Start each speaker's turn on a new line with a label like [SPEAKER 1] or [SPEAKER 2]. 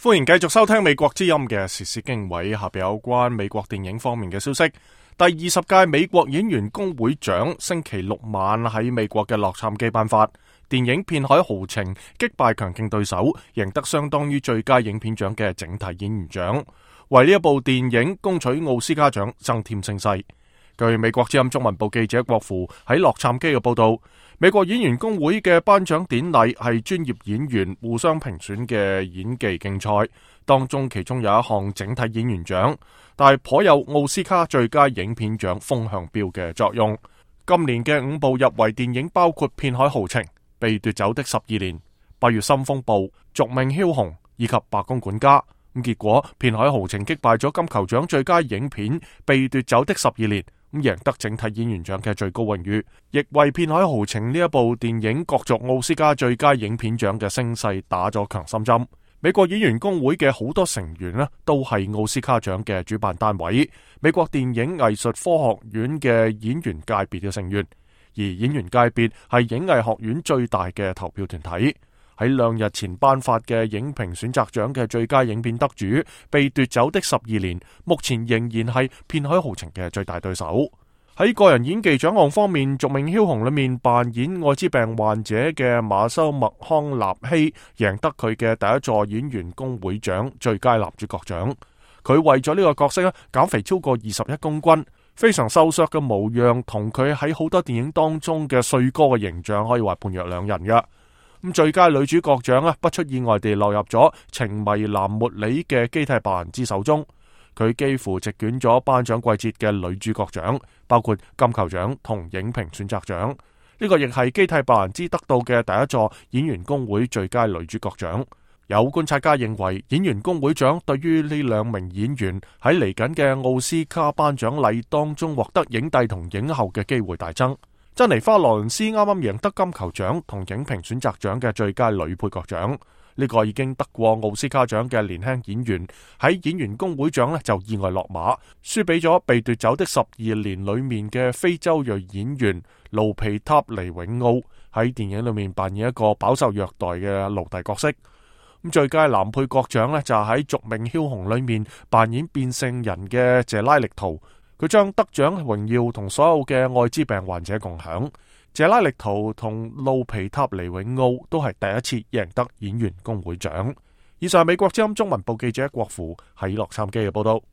[SPEAKER 1] 歡迎繼續收聽美國之音嘅時事經緯，下邊有關美國電影方面嘅消息。第20屆美國演員工會獎星期六晚喺美國嘅洛杉磯頒發，電影《片海豪情》擊敗強勁對手，贏得相當於最佳影片獎嘅整體演員獎，為呢一部電影攻取奧斯卡獎增添聲勢。據美國之音中文部記者郭芙喺洛杉磯嘅報道，美國演員工會嘅頒獎典禮係專業演員互相評選嘅演技競賽，當中其中有一項整體演員獎，但係頗有奧斯卡最佳影片獎風向標嘅作用。今年嘅5部入圍電影包括《片海豪情》、《被奪走的12年》、《八月深風暴》、《續命梟雄》以及《白宮管家》。結果《片海豪情》擊敗咗金球獎最佳影片《被奪走的12年》，贏得整體演員獎嘅最高榮譽，亦為《片海豪情》呢一部電影角逐奧斯卡最佳影片獎嘅聲勢打咗強心針。美國演員工會嘅好多成員呢，都係奧斯卡獎嘅主辦單位，美國電影藝術科學院嘅演員界別嘅成員，而演員界別係影藝學院最大嘅投票團體。喺2日前頒發嘅影評選擇獎嘅最佳影片得主《被奪走的12年》，目前仍然係《片海豪情》嘅最大對手。喺個人演技獎項方面，《續命梟雄》裏面扮演愛滋病患者嘅馬修麥康納希贏得佢嘅第一座演員工會獎最佳男主角獎。佢為咗呢個角色減肥超過21公斤，非常瘦削嘅模樣同佢喺好多電影當中嘅帥哥嘅形象可以話判若兩人嘅。最佳女主角獎不出意外地落入咗情迷藍茉莉嘅基蒂白蘭茲手中，佢幾乎席捲咗頒獎季節嘅女主角獎，包括金球獎同影評選擇獎。呢個亦係基蒂白蘭茲得到嘅第一座演員工會最佳女主角獎。有觀察家認為，演員工會獎對於呢2名演員喺嚟緊嘅奧斯卡頒獎禮當中獲得影帝同影后嘅機會大增。珍妮花羅倫斯啱啱贏得金球獎同影評選擇獎嘅最佳女配角獎，呢個已經得過奧斯卡獎嘅年輕演員喺演員工會獎就意外落馬，輸俾咗被奪走的12年裏面嘅非洲裔演員盧皮塔尼永奧，喺電影裏面扮演一個飽受虐待嘅奴隸角色。最佳男配角獎就係喺續命梟雄裏面扮演變性人嘅謝拉力圖。佢將得獎榮耀同所有嘅愛滋病患者共享。謝拉力圖同路皮塔尼永奧都係第一次贏得演員工會獎。以上係美國之音中文部記者郭芙喺洛杉磯嘅報道。